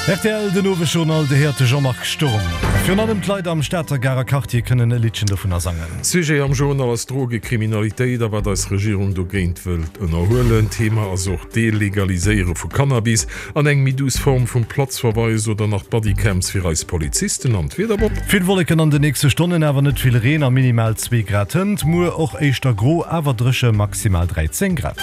Rtl, Den Owesjournal, Dir héiert de Jean-Marc Sturm. Virun allem d'Leit am Stater Garer Quartier kënnen e Liddchen dovunner sangen. Sujet am Journal ass d'Drogekriminalitéit a wat eis Regierung dogéint wëllt ënnerhuelen. Thema ass och d'Delegaliséiere vu Cannabis an eng méi duuss Form vum Platzverweis oder nach d'Bodycams fir eis Polizisten an d'Wieder. Bob. Vill Wolleken an den nächste Stonnen, awer net vill Reen a minimal 2 Grad hënt. Muer och éischter gro, awer dréche, maximal 13 Grad.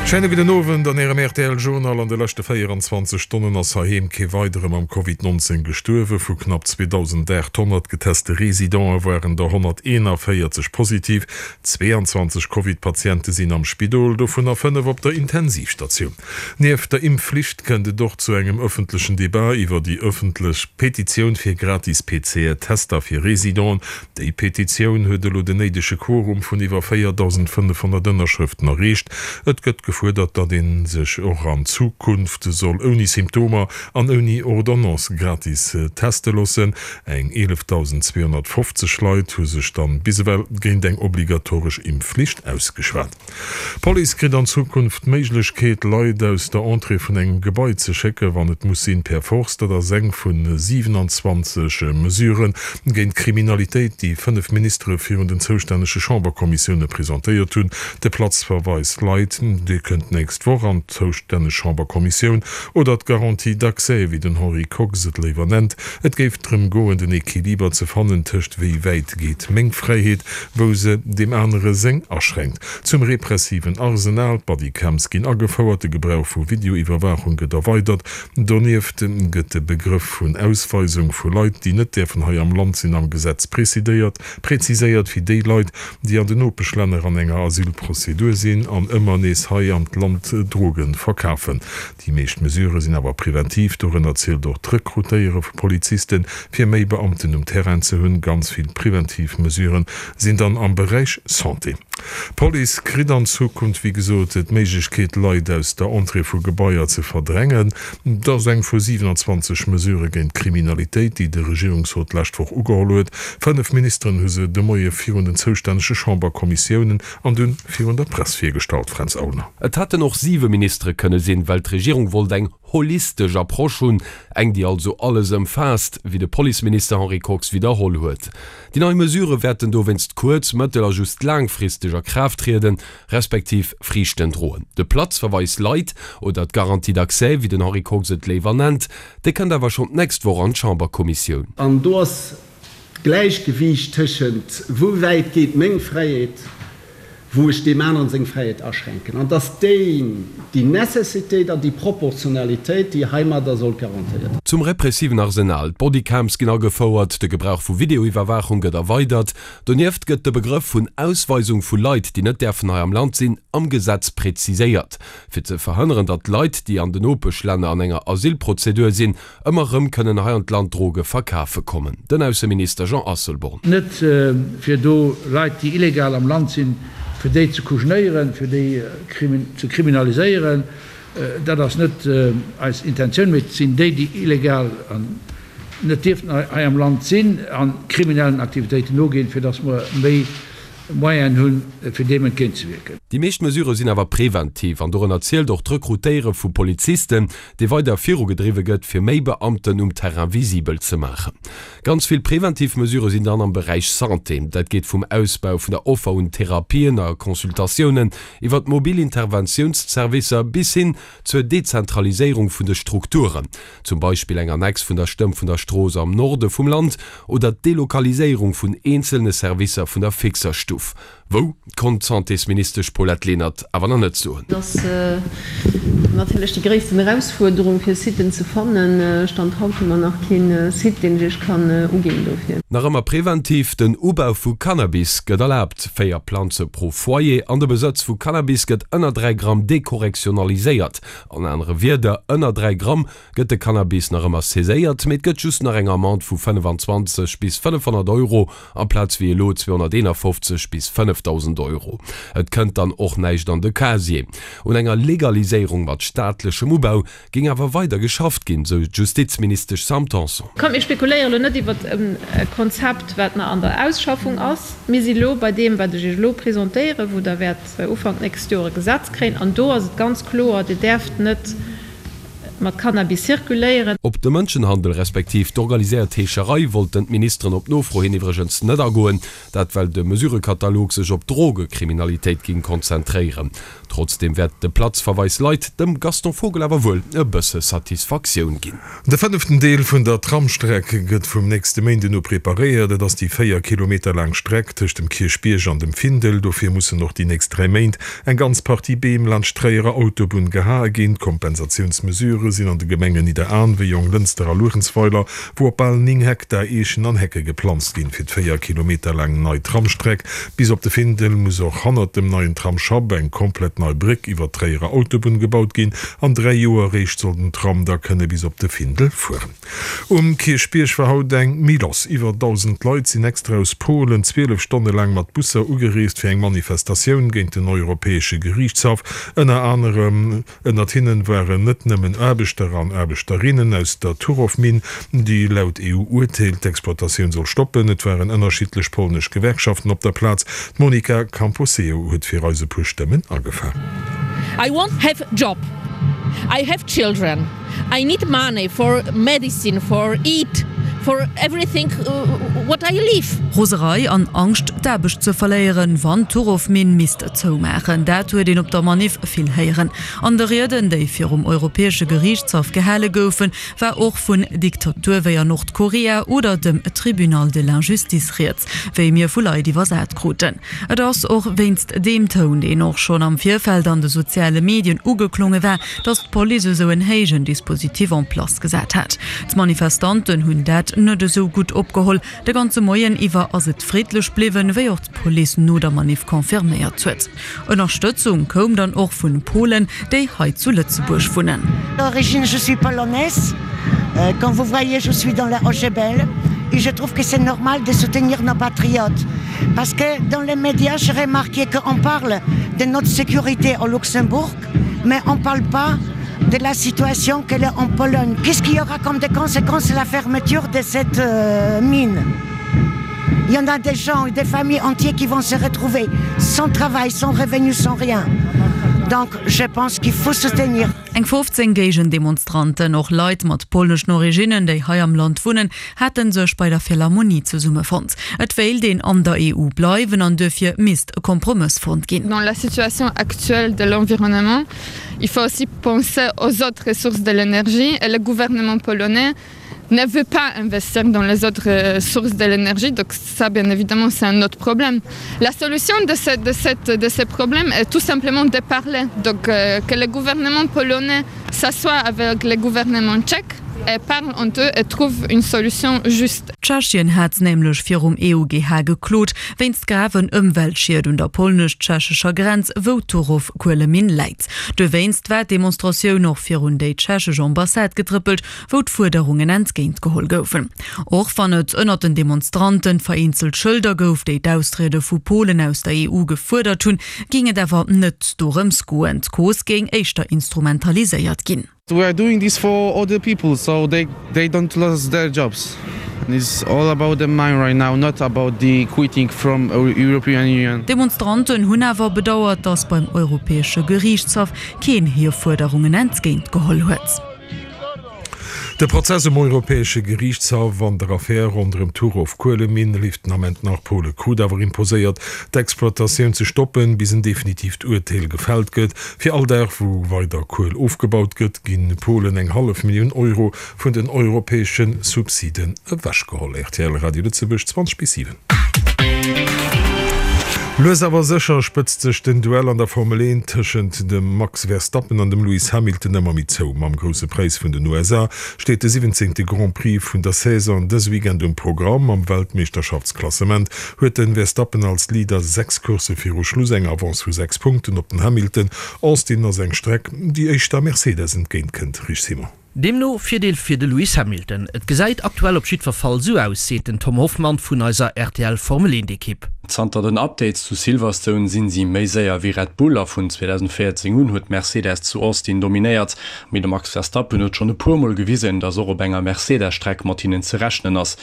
Schéine gudden Owend an Ärem rtl Journal. An de leschte 24 Stonnen ass heiheem kee weidere mam Covid 19 gestuerwen. Vu knapp 2.800 geteste Residente waren der 141 positiv. 22 Covid-Patiente sinn am Spidol, dovunner 5 op der Intensivstatioun. Nieft der Impfflicht kënnt et och zu engem ëffentlechen Debat iwwer déi ëffentlech Petitioun fir gratis PCR-Tester fir Residenten. Déi Petitioun huet elo den néidege Quorum vun iwwer 4.500 Ënnerschrëften erreecht. Et gëtt gefuerdert, datt ee sech och an Zukunft soll ouni Symptomer an ouni Ordonnance gratis teste loossen. Eng 11.250 Leit hu sech dann bis ewell géint eng obligatoresch Impfflicht ausgeschwat. D'Police kritt an Zukunft d'Méiglechkeet, Leit aus der Entrée vun engem Gebai ze schécken, wann et muss sinn, per Force. Dat ass eng vu 27 Mesurë géint d'Kriminalitéit, déi 5 Ministere virun den zoustännege Chamberkommissioune presentéiert hunn. De Platzverweis Leit, dee kënnt d'nächst Woch an d'zoustänneg Chamberkommissioun. Oder d'Garantie d'accès, wéi den Henri Kox et léiwer nennt. Et géif drëm goen, den Equiliber ze fannen tëscht wéi wäit geet meng Fräiheet, wou se deem anere seng aschränkt. Zum repressiven Arsenal, D'Bodycams ginn agefouert, de Gebrauch vu Videoiwwerwaachung gëtt erweidert. Donieft gëtt de Begrëff vun Ausweisung vu Leit, déi net däerfen hei am Land sinn, am Gesetz preziséiert, wéi déi Leit, déi an den Nopeschlänner an enger Asylprozedur sinn an ëmmer nees hei an d'Land Droge verkafen. Déi meescht Mesurë sinn awer preventiv. Dorënner zielt och d'Rekrutéiere vu Polizisten, fir méi Beamten um Terrain ze hunn. Ganz vill preventiv Mesurë sinn dann am Beräich Santé. D'Police kritt an Zukunft, wéi gesot, d'Méiglechkeet, Leit aus der Entrée vu Gebaier ze verdrängen. Dat ass eng vu 27 Mesurë géint d'Kriminalitéit, déi de Regierungsrot d'lescht Woch ugeholl huet. 5 Ministeren hu se de Moie virun den zoustännege Chamberkommissiounen an dunn virun der Press virgestallt, Fränz Aulner. Et hätten och siwe Ministere kënne sinn, well d'Regierung wollt eng holistesch Approche hunn, eng déi also alles ëmfaasst, wéi de Policeminister Henri Kox widderholl huet. Déi nei Mesurë wäerten dowéinst kuerz-, mëttel a just laangfristeg a Kraaft trieden, respektiv Friichten droen. De Platzverweis light oder d'Garantie d'accès, wéi den Henri Kox et léiwer nennt, dee kënnt awer schonn d'nächst Woch an d'Chamberkommissioun. An do ass d'Gläichgewiicht tëschent wou wäit geet meng Fräiheet, wou ech deem aneren seng Fräiheet aschränken, an dass déi déi Necessitéit an déi Proportionalitéit, déi heimadder soll garantéiert. Zum repressiven Arsenal, D'Bodycams ginn agefouert, de Gebrauch vu Videoiwwerwaachung gëtt erweidert. Donieft gëtt de Begrëff vun Ausweisung vu Leit, déi net däerfen hei am Land sinn, am Gesetz preziséiert. Fir ze verhënneren, datt Leit, déi an den Nopeschlänner an enger Asylprozedur sinn, Ëmmer rëm kënnen hei an d'Land Droge verkafe kommen. Den Ausseminister Jean Asselborn. Net fir do Leit, déi illegal am Land sinn, fir déi ze kujenéieren, fir déi ze kriminaliséieren. Dat ass net eis Intentioun, mee et sinn déi, déi illegal an net dierften hei am Land sinn a kriminellen Aktivitéiten noginn, fir datt mer méi Moyenen hunn, fir deem entgéintzewierken. Déi meescht Mesurë sinn awer preventiv an dorënner zielt och d'Rekrutéiere vu Polizisten, dee weider virugedriwwe gëtt, fir méi Beamten um Terrain visibel ze maachen. Ganz vill preventiv Mesurë sinn dann am Beräich Santé. Dat geet vum Ausbau vun der Offer un Therapien a Consultatiounen iwwer d'mobil Interventiounsservicer bis hin zur Dezentraliséierung vun de Strukturen, zum Beispill eng Annex vun der Stëmm vun der Strooss am Norde vum Land oder d'Delokaliséierung vun eenzelne Servicer vun der Fixerstuff. Wou, konnt d'Santésministesch Paulette Lenert awer nach net soen. Et ass natierlech déi gréissten Erausfuerderung, fir Siten ze fannen. Stand haut hu mer nach kee Site, deen ech Iech kann uginn dofir. Nach ëmmer preventiv, Den Ubau vu Cannabis gëtt erlaabt, 4 Planze pro Foyer, an de Besëtz vu Cannabis gëtt ënner 3 Gramm dekorrektionaliséiert. An anere Wierder, ënner 3 Gramm gëtt de Cannabis nach ëmmer saiséiert, mee et gëtt just nach eng Amende vu 25 bis 500 Euro amplaz wéi elo 251 bis 5.000 Euro. Et kënnt dann och näischt an de Casier. Un enger Legaliséierung mat staatlechem Ubau géing awer weider geschafft ginn, sou d'Justizministesch Sam Tanson. Kommt, mir spekuléiere lo net iwwer e Konzept, wat nach an der Ausschaffung ass. Mir si lo bei deem, wat ech Iech elo presentéieren, wou Der wäert Ufank d'nächst Joer e Gesetz kréien. An do ass et ganz kloer, Dir däerft net. mat Cannabis zirkuléieren. Op de Mënschenhandel respektiv d'organiséiert Heescherei wollten d'Ministeren op Nofro hin iwwregens net agoen. Dat well de Mesurëkatalog sech op d'Drogekriminalitéit ging konzentréieren. Trotzdeem wäert de Platzverweis Leit dem Gaston Vogel awer wuel e bësse Satisfaktioun ginn. De fënneften Deel vun der Tramstreck gëtt vum nächste Méinden u preparéiert. Et ass déi 4 Kilometer laang Streck tëscht dem Kierchbierg an dem Findel. Dofir mussen och déi nächst 3 Méint eng ganz Partie Beem laanscht d'Tréierer Autobunn gehae ginn. D'Kompensatiounsmesurë sinn an de Gemengen Nidderaanwen, Jonglënster a Luerenzweiler, wou op bal 9 Hektar Eechen an Hecke geplanzt ginn. Fir d'véier Kilometer laang nei Tramstreck bis op de Findel muss och hannert dem neien Tramsschapp eng komplett nei Bréck iwwer d'Tréierer Autobunn gebaut ginn. An 3 Joer eréischt soll den Tram da kënne bis op de Findel fueren. Um Kierchbierg war haut eng méi lass. Iwwer 1.000 Leit sinn extra aus Polen 12 Stonne laang mat Busser ugereest fir eng Manifestatioun géint den Europäesche Geriichtshaff. Ënner anerem Ënnert hinnen waren net nëmmen Aarbechter an Aarbechterinnen aus der Turow-Minn, déi laut EU-Urteel d'Exploitatioun soll stoppen. Et waren ënnerschiddlech polnesch Gewerkschaften op der Plaz. D'Monica Camposeo huet fir eis e puer Stëmmen agefaang. I won't have job, I have children. I need money for medicine, for eat, for everything what I live. Roserei an Angscht d'Aarbecht ze verléieren, wann d'Turow-Minn misst zoumaachen, dat huet een op der Maniff vill héieren. An de Rieden, déi virum Europäesche Geriichtshaff gehale goufen, war och vun Diktatur wéi an Nordkorea oder dem Tribunal de l'injustice rieds, wéi mir vu Leit iwwersat kruten. Et ass och wéinst deem Toun, deen och schonn am Virfeld an de soziale Medien ugeklonge war, datt d'Police esou en héijen Dispositif en place gesat hat. D'Manifestanten hunn dat net esou gutt opgeholl. De ganze Moien iwwer ass et friddlech bliwwen, wéi och d'Police no der Maniff confirméiert huet. Ënnerstëtzung koum dann och vun Polen, déi hei zu Lëtzebuerg wunnen. D'origine je suis polonaise, comme vous voyez je suis dans la OGBL et je trouve que c'est normal de soutenir nos patriotes parce que dans les médias j'ai remarqué qu'on parle de notre sécurité au Luxembourg mais on parle pas de la situation qu'elle est en Pologne. Qu'est-ce qu'il y aura comme des conséquences la fermeture de cette euh, mine Il y en a des gens et des familles entières qui vont se retrouver sans travail, sans revenu, sans rien. Donc je pense qu'il faut soutenir. Eng 15 Géigendemonstranten, och Leit mat polneschen Originnen, déi hei am Land wunnen, hate sech bei der Philharmonie zesummefonnt. Et wéilt een an der EU bleiwen an duerfir misst e Kompromëss fonnt ginn. Dans la situation actuelle de l'environnement, il faut aussi penser aux autres sources de l'énergie et le gouvernement polonais ne veut pas investir dans les autres sources de l'énergie, donc ça bien évidemment c'est un autre problème. La solution de ce, de cette, de ce problème est tout simplement de parler, donc euh, que le gouvernement polonais s'assoie avec le gouvernement tchèque et parle entre eux et trouve une solution juste. Tschechien hat nämlech virum EUGH geklot, wéinst graven Ëmweltschied un der polnesch-tschechescher Grenz, wou d'Turów-Kueleminn läit. Dowéinst war d'Demonstratioun och virun déi tschechesch Ambassade getrëppelt, wou d'Fuerderungen entgéint geholl goufen. Och wann et ënnert den Demonstranten vereenzelt Schëlder gouf, déi d'Austriede vu Polen aus der EU gefuerdert hunn, géing et awer net dorëms goen. D'Cause géing éischter instrumentaliséiert ginn. We are doing this for other people so they they don't lose their jobs. It's all about the mine right now, not about the quitting from European Union. D'Demonstranten hunn awer bedauert, datt beim Europäesche Geriichtshaff keen hir Fuerderungen entgéint geholl huet. De Prozess um Europäesche Geriichtshaff an der Affär ronderëm d'Turow-Kueleminn leeft den Ament nach. Pole krut awer imposéiert, d'Exploitatioun ze stoppen, bis en definitiivt Urteel gefält gëtt. Fir all Dag, wou weider Kuel ofgebaut gëtt, gi Polen eng hallef Millioun Euro vun den europäesche Subsiden ewechgeholl. Rtl Radio Lëtzebuerg, 20 bis 7. Lues awer sécher spëtzt sech den Duell an der Formel 1 tëschent dem Max Verstappen an dem Lewis Hamilton ëmmer méi zou. Mam Grousse Präis vun den USA steet de 17. Grand Prix vun der Saison dës Weekend um Programm. Am Weltmeeschterschaftsklassement huet de Verstappen als Leader 6 Coursse viru Schluss eng Avance vu 6 Punkten op den Hamilton. Austin ass eng Streck, déi éischter Mercedes entgéint kënnt, Rich Simon. Deemno Virdeel fir de Lewis Hamilton. Et gesäit aktuell op jiddwer Fall esou aus, seet den Tom Hoffmann vun eiser rtl Formel 1 Ekipp. Zanter den Updates zu Silverstone sinn si méi séier wéi Red Bull a vun 2014 un huet Mercedes zu Austin dominéiert. Mee de Max Verstappen huet schonn e puer Mol gewisen, datt och op enger Mercedes-Streck mat hinnen ze rechnen ass.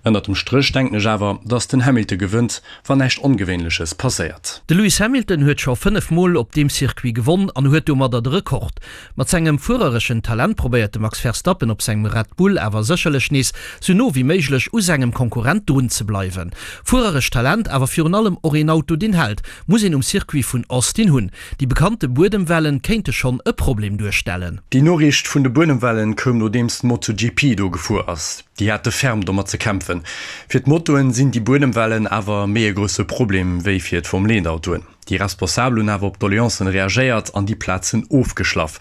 Ënnert dem Stréch denken ech awer, datt den Hamilton gewënnt, wann näischt Ongewéinleches passéiert. De Lewis Hamilton huet scho 5 Mol op deem Circuit gewonn an huet domadder de Rekord. Mat sengem fuerereschen Talent probéiert de Max Verstappen op sengem Red Bull awer sécherlech nees sou no wéi méiglech u sengem Konkurrent drun ze bleiwen. Fuererescht Talent, awer virun allem och een Auto deen hält, muss een um Circuit vun Austin hunn. Déi bekannte Buedemwellen kéinte schonn e Problem duerstellen. Déi Noriicht vun de Buedemwellen koum nodeems d'MotoGP do gefuer ass. Déi hate ferm domat ze kämpfen. Fir d'Motoen sinn déi Buedemwellen awer méi e grousse Problem wéi fir d'Formel-Eent-Autoen. Déi Responsabel hunn awer op d'Doleancen reagéiert an déi Plazen ofgeschlaff.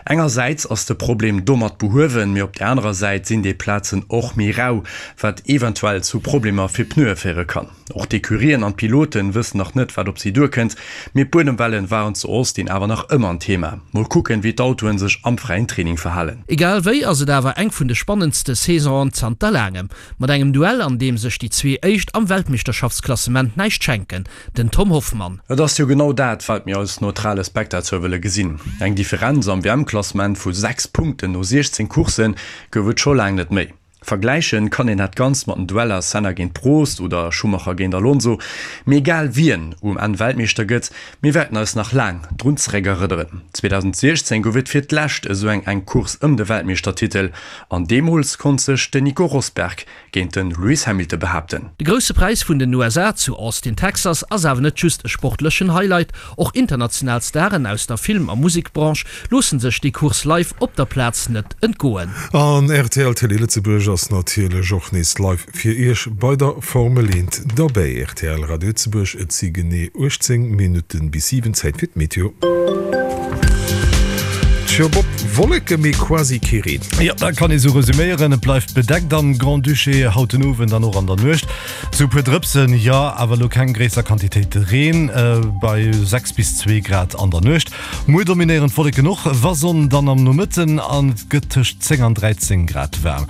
Engersäits ass de Problem domat behuewen, mee op der anerer Säit sinn déi Plazen och méi rau, wat eventuell zu Problemer fir Pneue féiere kann. Och d'Ecurien an d'Piloten wëssen nach net, wat op si duerkënnt, mee d'Buedemwellen waren zu Austin awer nach ëmmer en Thema. Mol kucken, wéi d'Autoen sech am fräien Training verhalen. Egal wéi ass et awer eng vun de spannendste Saisonen zanter laangem. Mat engem Duell, an deem sech déi zwee Éischt am Weltmeeschterschaftsklassement näischt schenken. Den Tom Hoffmann. Et ass jo genau dat, wat mir als neutrale Spectateur wëlle gesinn. Eng Differenz am WM-Klassement vu 6 Punkten no 16 Coursse gouf et scho laang net méi. Vergläiche kann een dat Ganzt mat den Dueller Senna géint Prost oder Schumacher géint Alonso. Mee egal wien um Enn Weltmeeschter gëtt, mir wäerten eis nach laang drun zeréckerënneren. 2016 gouf et fir d'lescht esou eng enk Course ëm de Weltmeeschtertitel an deemools konnt sech den Nico Rosberg géint de Lewis Hamilton behaapten. De Grousse Präis vun den USA zu Austin, Texas ass awer net just e sportlechen Highlight. Och international Staren aus der Film a Musekbranche loosse sech déi Course live op der Plaz net entgoen. An rtl Télé Lëtzebuerg ass natierlech och nees live fir Iech bei der Formel 1 derbäi. Rtl Radio Lëtzebuerg, et si genee 18 Minutten bis 7, Zäit fir d'Meteo. Tjo Bob, Wolleke mee quasi kee Reen. Jo, dat kann ee sou resuméieren. Et bleift bedeckt am Grand-Duché haut den Owend an och an der Nuecht. Sou e puer Drëpsen, jo, awer elo keng gréisser Quantitéite Reen, bei 6 bis 2 Grad an der Nuecht. Muer dominéieren d'Wolleken och, wa Sonn dann am Nomëtten an et gëtt tëscht 10 an 13 Grad waarm.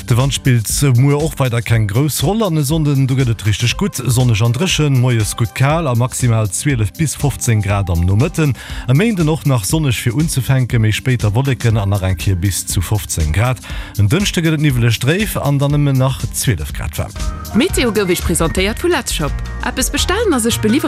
De Wand spillt muer och weider keng grouss Roll an e Sonnden, do gëtt et richteg gutt sonneg an dréchen, moies gutt kal a maximal 12 bis 15 Grad am Nomëtten. E Méinden och nach sonneg fir unzefänken, méi spéit da Wolleken an nach eng Kéier bis zu 15 Grad. En Dënschde gëtt et niwweleg dréif an dann nëmmen nach 12 Grad waarm. D'Meteo gouf Iech presentéiert vu Letzshop. Eppes bestellen a sech beliwweren.